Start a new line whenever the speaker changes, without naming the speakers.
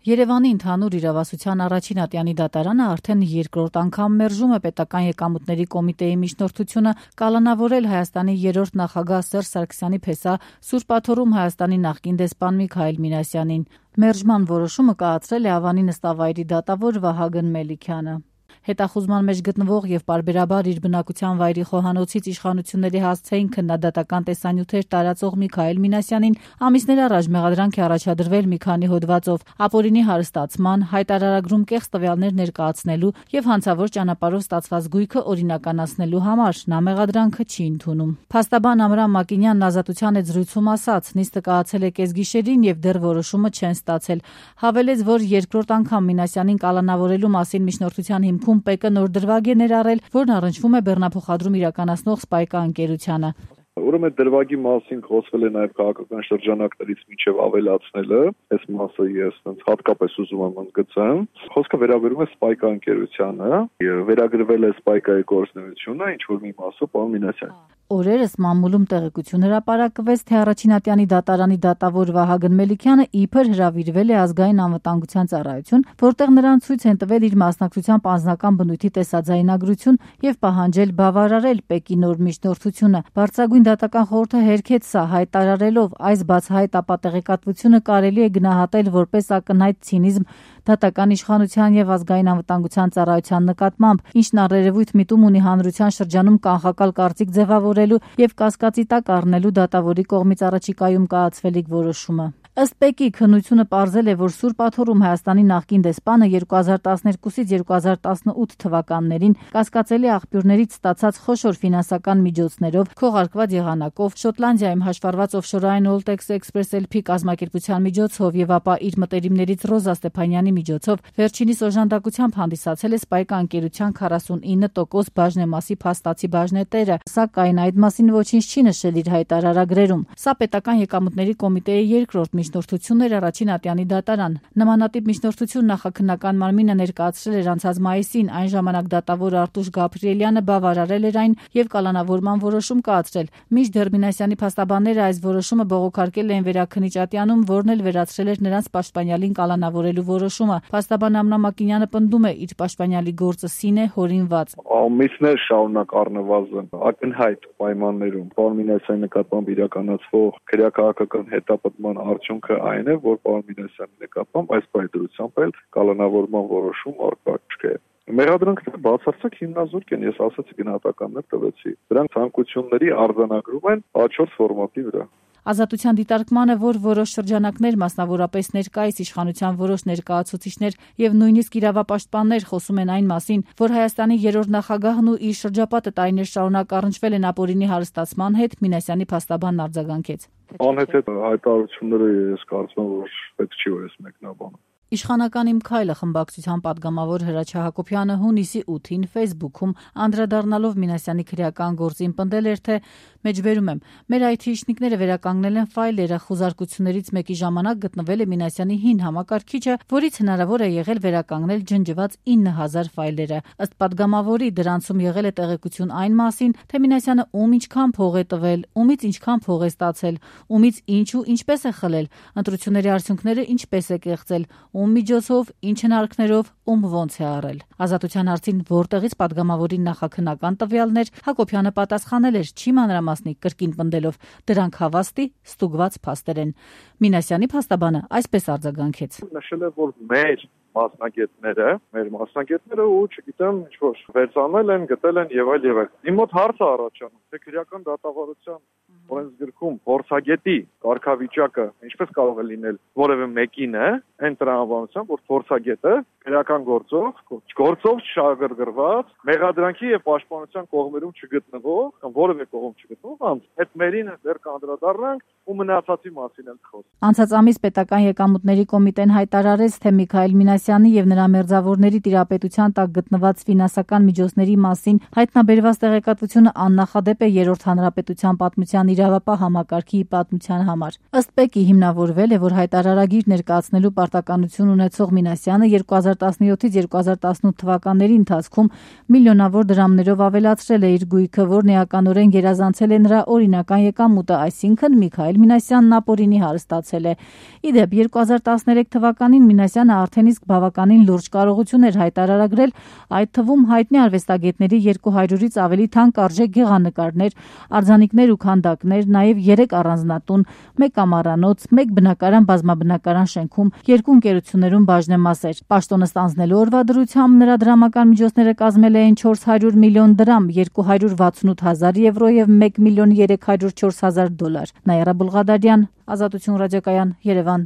Երևանի ընդհանուր իրավասության առաջին ատյանի դատարանը արդեն երկրորդ անգամ մերժում է պետական եկամուտների կոմիտեի միջնորդությունը կալանավորել Հայաստանի երրորդ նախագահ Սերժ Սարգսյանի փեսա Սուրբ Աթոռում Հայաստանի նախկին դեսպան Միքայել Մինասյանին։ Մերժման որոշումը կայացրել է Ավանի նստավայրի դատավոր Վահագն Մելիքյանը։ Հետախուզման մեջ գտնվող եւ պարբերաբար իր բնակության վայրի խոհանոցից իշխանությունների հասցեին քննադատական տեսանյութեր տարածող Միքայել Մինասյանին ամիսներ առաջ մեղադրանք է առաջադրվել մի քանի հոդվածով ապօրինի հարստացման, հայտարարագրում կեղծ տվյալներ ներկայացնելու եւ հանցավոր ճանապարհով ստացված գույքը օրինականացնելու համար։ Նա մեղադրանքը չի ընդունում։ Փաստաբան Ամրամ Մակինյանն ազատության հետ զրույցում ասաց, նիստը կայացել է կեսգիշերին եւ դեռ որոշումը չեն ստացել։ Հավելեց, որ երկրորդ անգամ Մինասյանին կալանավորելու մասին միջնորդության հիմքում ՊԿ նոր դրվագ է ներառել, որն առնչվում է բեռնափոխադրում իրականացնող Սպայկա ընկերությանը։
Ուրեմն դրվագի մասին խոսվել է նաև քաղաքական շրջանակներից մինչև ավելացնելը, այս մասը ես հատկապես ուզում եմ ընդգծեմ։ Խոսքը վերաբերում է Սպայկա ընկերությանը, վերագրվել է Սպայկայի գործունեությունը, ինչ որ մի մասը պարոն Մինասյան։
Օրերս մամուլում տեղեկություն հրապարակվեց, թե առաջին ատյանի դատարանի դատավոր Վահագն Մելիքյանը իբր հրավիրվել է ազգային անվտանգության ծառայություն, որտեղ նրան ցույց են տվել իր մասնակցությամբ անձնական բնույթի տեսաձայնագրություն եւ պահանջել բավարարել ՊԿ-ի նոր միջնորդությունը։ Բարձրագույն դատական խորհուրդը հերքեց սա, հայտարարելով, այս բացահայտ ապատեղեկատվությունը կարելի է գնահատել որպես ակնհայտ ցինիզմ դատական իշխանության եւ ազգային անվտանգության ծառայության նկատմամբ, ինչն առերևույթ միտում ունի հանրության շրջանում կանխակալ կարծիք ձևավորելու եւ կասկածի տակ առնելու դատավորի կողմից առաջիկայում կայացվելիք որոշումը։ Ըստ ՊԿ-ի քննությունը պարզել է, որ Սուրբ Աթոռում Հայաստանի նախկին դեսպանը 2012-ից 2018 թվականներին կասկածելի աղբյուրներից ստացած խոշոր ֆինանսական միջոցներով, քողարկված եղանակով, Շոտլանդիայում հաշվառված օֆշորային Oltex Express LP կազմակերպության միջոցով եւ ապա իր մտերիմներից Ռոզա Ստեփանյանի միջոցով վերջինիս օժանդակությամբ հանդիսացել է Սպայկա ընկերության 49% բաժնեմասի փաստացի բաժնետերը, սակայն այդ մասին ոչինչ չի նշել իր հայտարարագրերում։ Սա պետական եկամուտների կոմիտեի երկրորդ միջնորդությունն էր առաջին ատյանի դատարան։ Նմանատիպ միջնորդություն նախաքննական մարմինը ներկայացրել էր անցած մայիսին, այն ժամանակ դատավոր Արտուշ Գաբրիելյանը բավարարել էր այն եւ կալանավորման որոշում կայացրել։ Մինչդեռ Մինասյանի փաստաբանները այս որոշումը բողոքարկել էին Վերաքննիչ ատյանում, որն էլ վերացրել էր նրանց պաշտպանյալին կալանավորելու որոշումը։ Փաստաբան Ամրամ Մակինյանը պնդում է, իր պաշտպանյալի գործը սին է հորինված։
Ամիսներ շարունակ առնվազն ակնհայտ պայմաններում պարոն Մինասյանի նկատմամբ իրականացվող քրեակահաղական հետապնդման արդյունքը այն է, որ պարոն Մինասյանի նկատմամբ այս պայմանությամբ էլ կալանավորման որոշում առկա չէ։ Մեղադրանքները բացարձակ հիմնազուրկ են, ես ասացի գնահատականներ տվեցի։ Դրանք ցանկությունների արձանագրում են A4 ֆորմատի վրա։
Ազատության դիտարկմանը, որ որոշ շրջանակներ, մասնավորապես ներկայիս իշխանության որոշ ներկայացուցիչներ եւ նույնիսկ իրավապաշտպաններ խոսում են այն մասին, որ Հայաստանի երրորդ նախագահն ու իր շրջապատը տարիներ շարունակ առնչվել են ապօրինի հարստացման հետ, Մինասյանի փաստաբանն արձագանքեց։
Անհետ հայտարարությունները ես կարծում եմ, որ պետք չի որ ես մեկնաբանում։
Իշխանական իմ քայլը խմբակցության падգամավոր Հրաչյա Հակոբյանը հունիսի 8-ին Facebook-ում անդրադառնալով Մինասյանի քրեական գործին պնդել էր, թե մեջբերում եմ. մեր IT-իշխնիկները վերականգնել են ֆայլերը, խոզարկություններից մեկի ժամանակ գտնվել է Մինասյանի հին համակարգիչը, որից հնարավոր է եղել վերականգնել ջնջված 9000 ֆայլերը։ Ըստ падգամավորի դրանցում եղել է տեղեկություն այն մասին, թե Մինասյանը ում ինչքան փող է տվել, ումից ինչքան փող է ստացել, ումից ինչ ու ինչպես է խլել, ընտրությունների արդյունքները ինչպես է կեղծել, ում միջոցով, ինչ հնարքներով, ում ոնց է առել։ Ազատության հարցին որտեղից падգամավորին նախաքննական տվյալներ, Հակոբյանը պատասխանել էր, չի մանրամասնի, կրկին պնդելով, դրանք հավաստի, ստուգված փաստեր են։ Մինասյանի փաստաբանը այսպես արձագանքեց.
Նշել է, որ մեր մասնագետները ու չգիտեմ ինչ որ վերցանել են, գտել են եւ այլ եւ այլ։ Իմ մոտ հարց է առաջանում, թե քրեական դատավարության օրենսգրքում փորձագետի կարգավիճակը ինչպես կարող է լինել որևէ մեկին է, այն տրամաբանությամբ, որ փորձագետը քրեական գործով շահագրգռված, մեղադրանքի եւ պաշտպանության կողմերում չգտնվող, կամ որևէ կողմ չգտնվող անձ, այդ մերին դեռ կանդրադառնանք ու մնացածի մասին էլ խոսք։
Անցած ամիս պետական եկամուտների կոմիտեն հայտարարեց, թե Միքայել Մինասյանի եւ նրա մերձավորների տիրապետության տակ գտնված ֆինանսական միջոցների մասին հայտնաբերված տեղեկատվությունը աննախադեպ է երրորդ հանրապետության պատմության իրավապահ համակարգի պատմության համար։ Ըստ ՊԿ-ի հիմնավորվել է, որ հայտարարագիր ներկայացնելու պարտականություն ունեցող Մինասյանը 2017-ից 2018 թվականների ընթացքում միլիոնավոր դրամներով ավելացրել է իր գույքը, որն էականորեն գերազանցել է նրա օրինական եկամուտը, այսինքն Միքայել Մինասյանն ապօրինի հարստացել է։ Ի դեպ, 2013 թվականին Մինասյանը արդեն իսկ բավականին լուրջ կարողություն էր հայտարարագրել, այդ թվում հայտնի արվեստագետների 200-ից ավելի թանկարժեք գեղանկարներ, արձանիկներ ու քանդակներ, նաև 3 առանձնատուն, 1 կամարանոց, 1 բնակարան բազմաբնակարան շենքում, 2 ընկերություններում բաժնեմասեր։ Պաշտոնը ստանձնելու օրվա դրությամբ նրա դրամական միջոցները կազմել էին 400 միլիոն դրամ, 268 հազար եվրո և 1 միլիոն 304 հազար դոլար։ Նաիրա Բուլղադարյան, Ազատություն ռադիոկայան, Երևան։